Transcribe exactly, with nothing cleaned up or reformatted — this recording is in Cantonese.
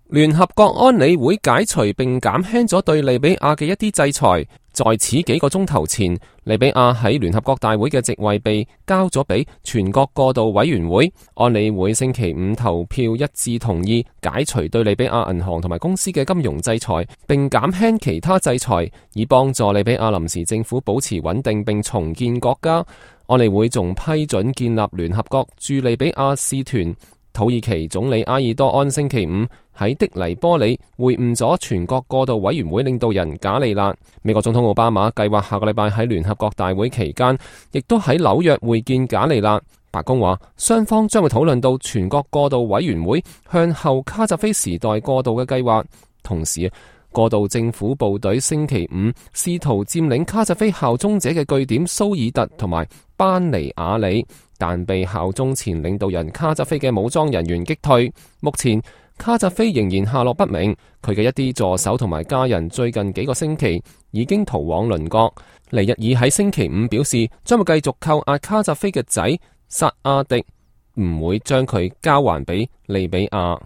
聯合國安理會解除並減輕咗對利比亞嘅一啲制裁。在此幾個鐘頭前，利比亞喺聯合國大會嘅席位被交咗俾全國過渡委員會。安理會星期五投票一致同意解除對利比亞銀行同埋公司嘅金融制裁，並減輕其他制裁，以幫助利比亞臨時政府保持穩定並重建國家。安理會仲批准建立聯合國駐利比亞使團。土耳其總理埃爾多安星期五喺的黎波里會晤咗全國過渡委員會領導人賈利納。美國總統奧巴馬計劃下個禮拜喺聯合國大會期間，亦都喺紐約會見賈利納。白宮話，雙方將會討論到全國過渡委員會向後卡扎菲時代過渡嘅計劃。同時，過渡政府部隊星期五試圖佔領卡扎菲效忠者嘅據點蘇爾特同埋班尼亞里，但被效忠前領導人卡扎菲嘅武裝人員擊退。目前卡扎菲仍然下落不明，佢嘅一啲助手同埋家人最近幾個星期已經逃往鄰國。尼日爾喺星期五表示，將會繼續扣押卡扎菲嘅仔薩阿迪，唔會將佢交還俾利比亞。